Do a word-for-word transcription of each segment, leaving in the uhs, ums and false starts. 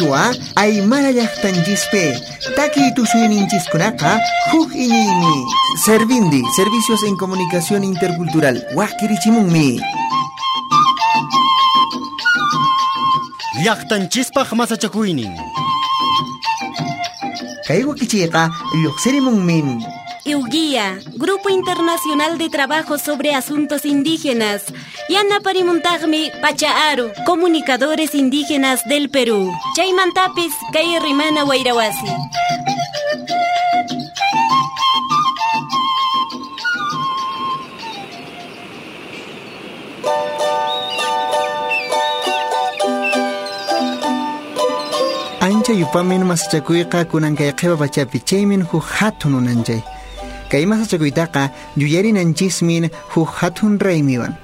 Qichwa Aymara llaqtanchispi takiy tusuyninchiskunaqa huk iñiymi. Servindi, Servicios en Comunicación Intercultural, waqkirichimunmi. Llaqtanchispaq masachakuynin. Kay wakichiyqa lluqsirimunmin. Euguía, Grupo Internacional de Trabajo sobre Asuntos Indígenas. Yanaparimuntaqmi Pachaaru, Comunicadores Indígenas del Perú. Chaymantapis kay Rimana Wayrawasi. Ancha yupamin masachakuyqa kunan kay qhipa pachapi chaymin huk hatun unanchay. Kay masachakuytaqa yuyarinanchismin huk hatun raymiwan.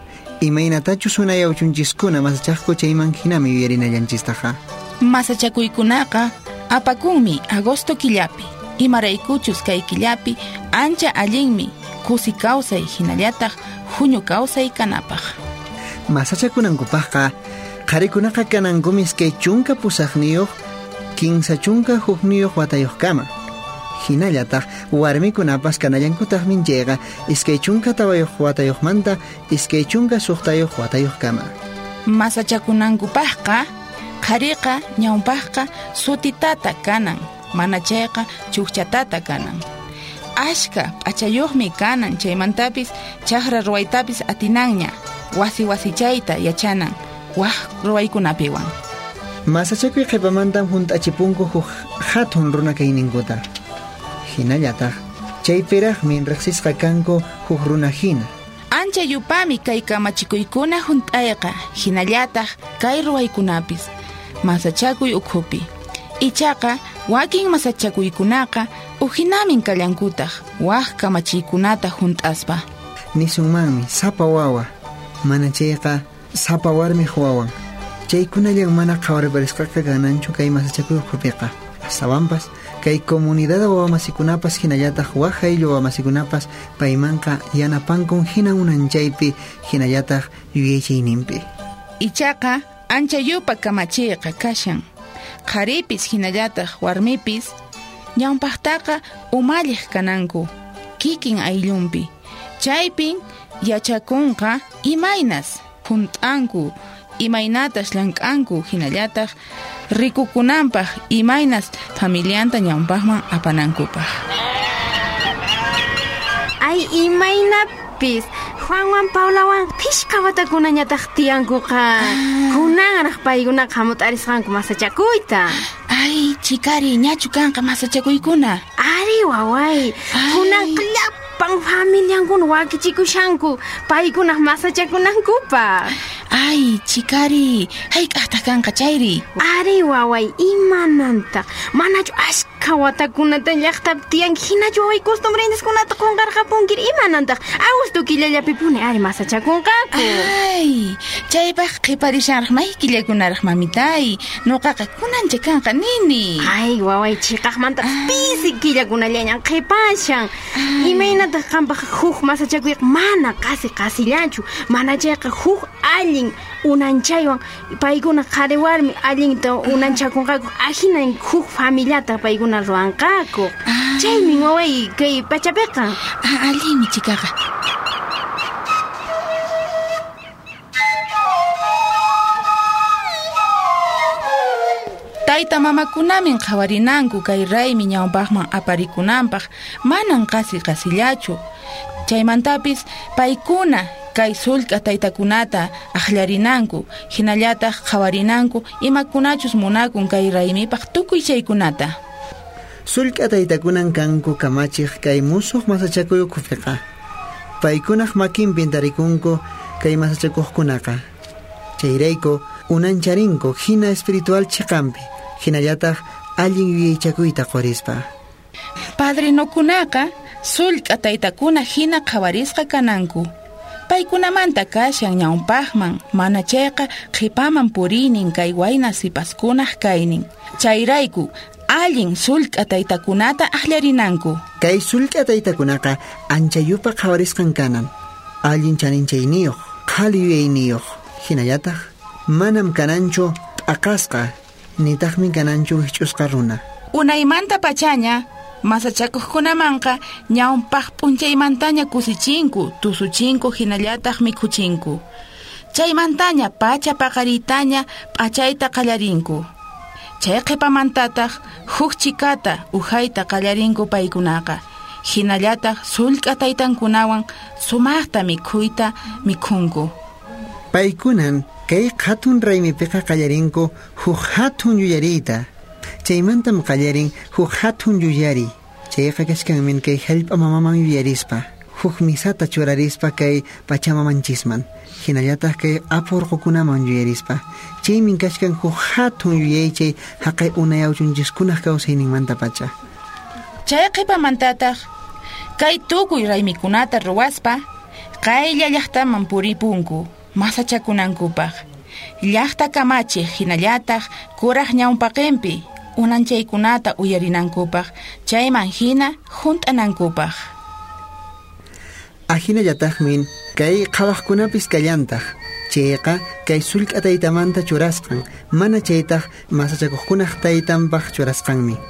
Imaynatachus unayawchunchiskuna masachaqku chayman hinami yuyarinallanchistaqa. Masachakuykunaqa apakunmi agosto killapi. Imaraykuchus kay killapi ancha allinmi kusi kawsay hinallataq huñu kawsay kanapaq. Masachakunankupaqqa qharikunaqa kanankumi iskay chunka pusaqniyuq kinsa chunka hukniyuq watayuqkama. Hinallataq warmikunapas kanallankutaqmin chayqa iskay chunka tawayuq watayuqmanta iskay chunka suqtayuq watayuqkama. Masachakunankupaqqa qhariqa ñawpaqqa sutitata kanan, mana chayqa chukchatata kanan. Ashka p'achayuqmi kanan, chaymantapis chaqra ruwaytapis atinanña, wasi wasichayta yachanan, waq ruwaykunapiwan. Masachakuy qhipamantam hunt'achipunku huk hatun runa kayninkuta. Hinallataq chaypiraqmi riqsisqa kanku huk runa hina. Ancha yupami kay kamachikuykuna hunt'ayqa, hinallataq kay ruwaykunapis masachakuy ukhupi. Ichaqa wakin masachakuykunaqa uhinamin kallankutaq waq kamachiykunata hunt'aspa. Nisunmanmi sapa wawa, mana chayqa sapa warmiq wawan. Chaykunallan mana qhawariparisqaqa kananchu kay masachakuy ukhupiqa. Astawanpas kay comunidad wawamasikunapas hinallataq waq ayllu wawamasikunapas paymanqa yanapankun hina unanchaypi hinallataq yuyaychayninpi. Ichaqa ancha yupa kamachiyqa kashan. Qharipis hinallataq warmipis ñawpaqtaqa umalliq kananku kikin ayllunpi. Chaypin yachakunqa imaynas hunt'anku, imaynatas llank'anku hinallataq rikukunanpaq imaynas familianta ñawpaqman apanankupaq. Ay, imaynapis Juanwan Paulawan phishqa watakunañataq tiyankuqa. Kunanraq paykunaqa hamut'arisqanku masachakuyta. Ay, chikari, ñachu kanqa masachakuykuna. Ari, waway, kunanqa llapan familiankuna wakichikushanku paykunaq masachakunankupaq. Ay, chikari, hayk'aqtaq kanqa chayri? Ari, waway, imanantaq? Manachu ashka watakunata llaqtapi tiyanki hinachu waway costumbreniskunata qunqarqapunkiri imanantaq? Agosto killallapipuni ari masachakunqaku. Ay, chaypaq qhiparishanraq may killakunaraq mamitay. Nuqaqa kunancha kanqa nini. Ay, waway, chiqaqmanta pisi killakunallañan qhipashan. Imaynataq qampaq huk masachakuyqa mana qasi qasillachu, mana chayqa huk allin unanchaywan paykuna qhari warmi allinta unanchakunqaku, ahinan huk familiata paykuna ruwanqaku. Chaymi waway kay pachapiqa. Allinmi chikaqa. Tayta mamakunamin qhawarinanku kay raymi ñawpaqman aparikunanpaq, manan qasi qasillachu. Chaymantapis paykuna kay sullk'a taytakunata aqllarinanku, hinallataq qhawarinanku imakunachus munakun kay raymipaq tukuy chaykunata. Sullk'a taytakunan kanku kamachiq kay musuq masachakuy ukhupiqa. Paykunaq makinpin tarikunku kay masachakuqkunaqa. Chayrayku unancharinku hina espiritual chiqanpi, hinallataq allin yuyaychakuyta qurispa. Padrinokunaqa sullk'a taytakuna hina qhawarisqa kananku. Paykunamanta kashan ñawpaqman, mana chayqa qhipaman puriynin kay wayna sipaskunaq kaynin. Chayrayku allin sullk'a taytakunata aqllarinanku. Kay sullk'a taytakunaqa ancha yupa qhawarisqan kanan, allin chaninchayniyuq, qhali yuyayniyuq, hinallataq manam kananchu t'aqasqa Nitaqmi kananchu wikch'usqa runa. Unaymanta pachaña masachakuqkunamanqa ñawpaq p'unchaymantaña kusichinku, tusuchinku hinallataq mikhuchinku. Chaymantaña pacha paqariytaña p'achayta qallarinku. Chay qhipamantataq huk chikata uhayta qallarinku paykunaqa. Hinallataq sullk'a taytankunawan sumaqta mikhuyta mikhunku. Paykunan kay hatun raymipiqa qallarinku huk hatun yuyariyta. Chaymantam qallarin huk hatun yuyari. Chayqa kashkanmin kay hallp'a mamaman yuyarispa, huk misata churarispa kay pachamamanchisman, hinallataq kay apu urqukunaman yuyarispa. Chaymin kashkan huk hatun yuyaychay haqay unayawchunchiskunaq kawsayninmanta pacha. Chay qhipamantataq kay tukuy raymikunata ruwaspa qaylla llaqtaman puripunku masachakunankupaq. Llaqta kamachiq hinallataq kuraq ñawpaqinpi unanchaykunata uyarinankupaq, chayman hina hunt'anankupaq. Ahinallataqmin kay qhawaqkunapis kallantaq. Chayqa kay sullk'a taytamanta churasqan, mana chaytaq masachakuqkunaq taytanpaq churasqanmi.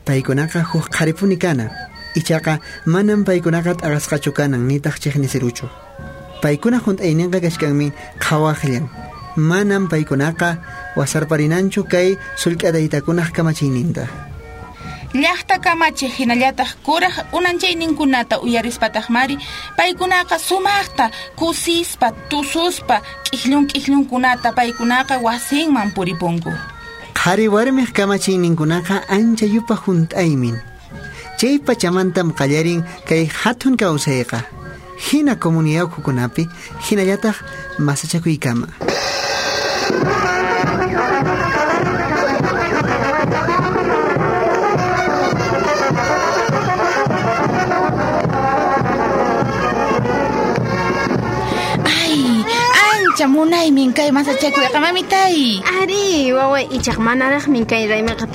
Paykunaqa huk qharipuni kana. Ichaqa manam paykunaqa t'aqasqachu kanan nitaq chiqnisiruchu. Paykuna hunt'ayninqa kashkanmi qhawaqllan. Manam paykunaqa wasarparinanchu kay sullk'a taytakunaq kamachiyninta. Llaqta kamachiq hinallataq kuraq unanchayninkunata uyarispataqmari paykunaqa sumaqta kusispa tususpa k'ikllun k'ikllunkunata paykunaqa wasinman puripunku. Qhari warmiq kamachiyninkunaqa ancha yupa hunt'aymin. Chay pachamantam qallarin kay hatun kawsayqa. Hina comunidad ukhukunapi hinallataq masachakuykama. Ay, ancha munaymin kay masachakuyqa mamitay. Ari, waway, ichaq manaraqmin kay raymiqa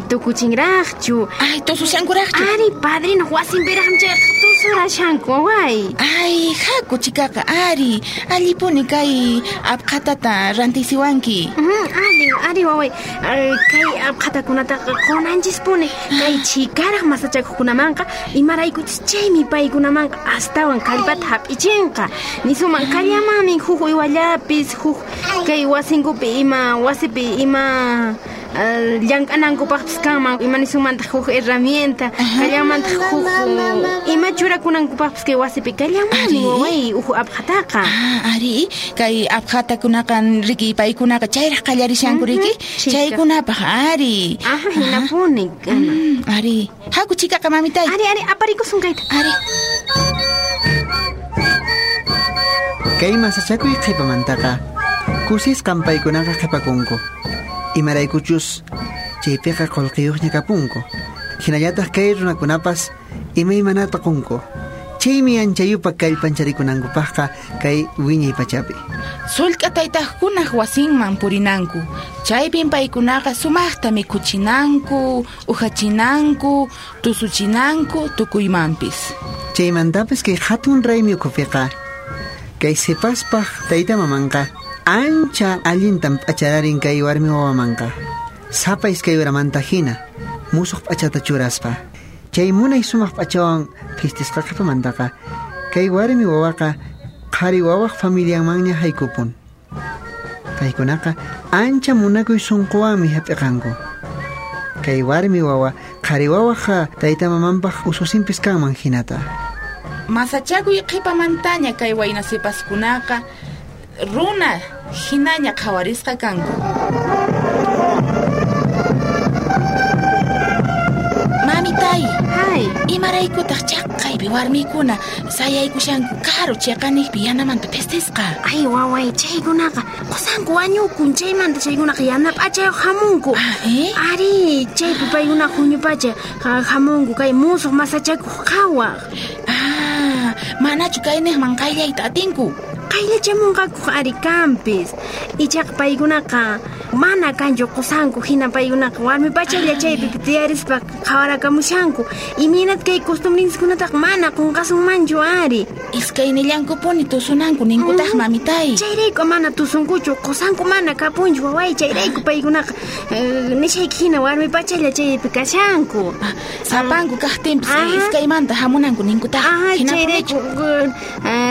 tukuchinraqchu. Ay, tusushankuraqchu. Ari, padrino wasinpiraqmi chayqa tusurashanku, waway. Ay, haku chikaqa, ari, allipuni kay apqatata rantisiwanki. Allin, ari, waway, kay apqatakunataqa qunanchispuni. Kay chikaraq masachakuqkunamanqa imaraykuchus chaymi paykunamanqa astawan kallpata hap'ichinqa. Nisuman kallamanmi huk uywallapis, huk kay wasinkupi ima wasipi ima llank'anankupaqpis kanman, ima nisumantaq huk herramienta, kallamantaq huk ima churakunankupaqpis kay wasipi kallamanmi waway uhu apqataqa. Ah, ari, kay apqatakunaqa riki paykunaqa chayraq qallarishanku riki, chaykunapaq ari. Aha, hinapuni. Ari, haku chikaqa mamitay. Ari, ari, aparikusun kayta. Ari. Kay masachakuy qhipamantaqa kusisqan paykunaqa qhipakunku. Imaraykuchus chaypiqa qullqiyuqña kapunku. Hinallataq kay runakunapas imaymanata qunku. Chaymi anchayupa kallpancharikunankupaqqa kay wiñay pachapi. Sullk'a taytaqkunaq wasinman purinanku. Chaypin paykunaqa sumaqta mikhuchinanku, uhachinanku, tusuchinanku tukuymanpis. Chaymantapis kay hatun raymi ukhupiqa kay sipaspaq tayta mamanqa ancha allintam p'achararin kay warmi wawamanqa. Sapa iskay uramanta hina musuq p'achata churaspa. Chay munay sumaq p'achawan phistisqa qhipamantaqa kay warmi wawaqa qhari wawaq familianmanña haykupun. Paykunaqa ancha munakuy sunquwanmi hap'iqanku. Kay warmi wawa qhari wawaqqa tayta mamanpaq ususinpis kanman hinata. Masachakuy qhipamantaña kay wayna sipaskunaqa runa hinaña qhawarisqa kanku. Mamitay, hay, imaraykutaq chaqaypi warmikuna sayaykushanku karu chiqaniqpi yanamanta pistisqa. Ay, waway, chaykunaqa qusanku wañukun, chaymanta chaykunaqa yana p'achayuq hamunku. Ah, eh? Ari, chaypi paykuna huñupacha hamunku kay musuq masachakuq qhawaq. Ah, manachu kayniqman qayllayta atinku. Qayllachamunqakuq ari kanpis. Ichaqa paykunaqa Mana kanchu qusanku hina paykunaqa warmi pachalla chaypi tiyarispa qhawarakamushanku. Imaynat kay costumbrinchikkunataqa mana qunqasunmanchu ari. Iskaynillankupuni tusunanku ninkutaq mamitay. Chayrayku mana tusunkuchu, qusanku mana kapunchu waway, chayrayku paykunaqa nishayki hina warmi pachalla chaypi kashanku. Sapanku kaqtinpis iskaymanta hamunanku ninkutaq. Chayrayku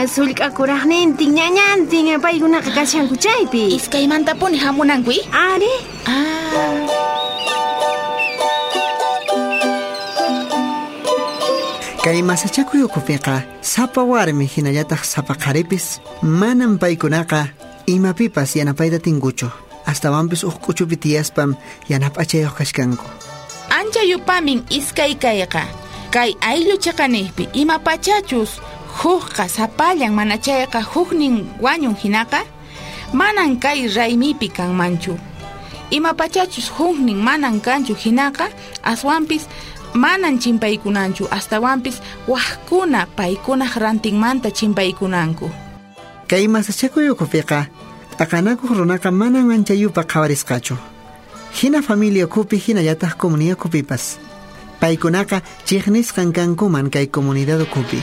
sullk'akuraqnintin ñañantin paykunaqa kashanku chaypi. Iskaymantapuni hamunanku i? Ari. Ah. Kay masachakuy ukhupiqa sapa warmi hinallataq sapa qharipis manam paykunaqa imapipas yanapayta tinkuchu. Astawanpis uq k'uchupi tiyaspam yanap'achayuq kashkanku. Ancha yupamin iskay kayqa. Kay ayllu chiqaniqpi ima pachachus hukqa sapallan mana chayqa huknin wañun hinaqa manan kay raymipi kanmanchu. Ima pachachus huknin manan kanchu hinaqa aswanpis manan chimpaykunanchu astawanpis wajkuna paykunaq rantinmanta chimpaykunanku. Kay masachakuy ukhupiqa t'aqanakuq runaqa manan anchayupa qhawarisqachu. Hina familia ukhupi hinallataq comunidad ukhupipas. Paykunaqa chiqnisqan kankuman kay comunidad ukhupi.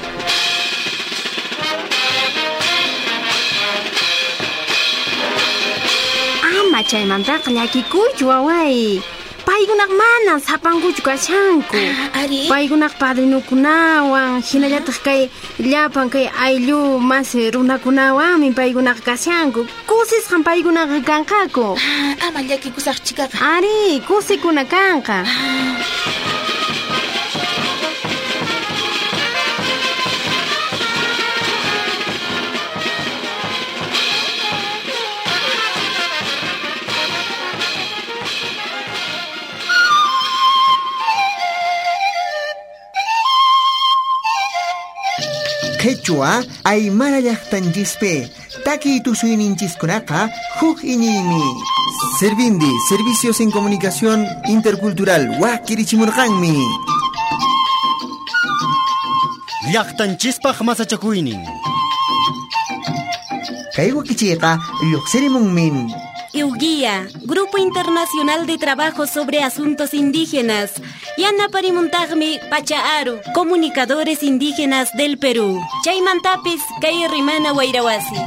Ama chaymantaqa llakikuychu waway. Paykunaq mana sapankuchu kashanku. Ari. Paykunaq padrinukunawan hinallataq kay llapan kay ayllu mas runakunawanmi paykunaqa kashanku. Kusisqan paykunaqa kanqaku. Ama llakikusaq chikaqa. Ari, kusikuna kanqa. Quechua Aymara llaqtanchispi takiy tusuyninchiskunaqa huk iñiymi. Servindi, Servicios en Comunicación Intercultural, wakirichimurqanmi. Llaqtanchispaq masachakuynin. Kay wakichiyqa lluqsirimunmin. IWGIA, Grupo Internacional de Trabajo sobre Asuntos Indígenas. Yanaparimuntaqmi Pacha Aru, Comunicadores Indígenas del Perú. Chaymantapis kay Rimana Wayrawasi.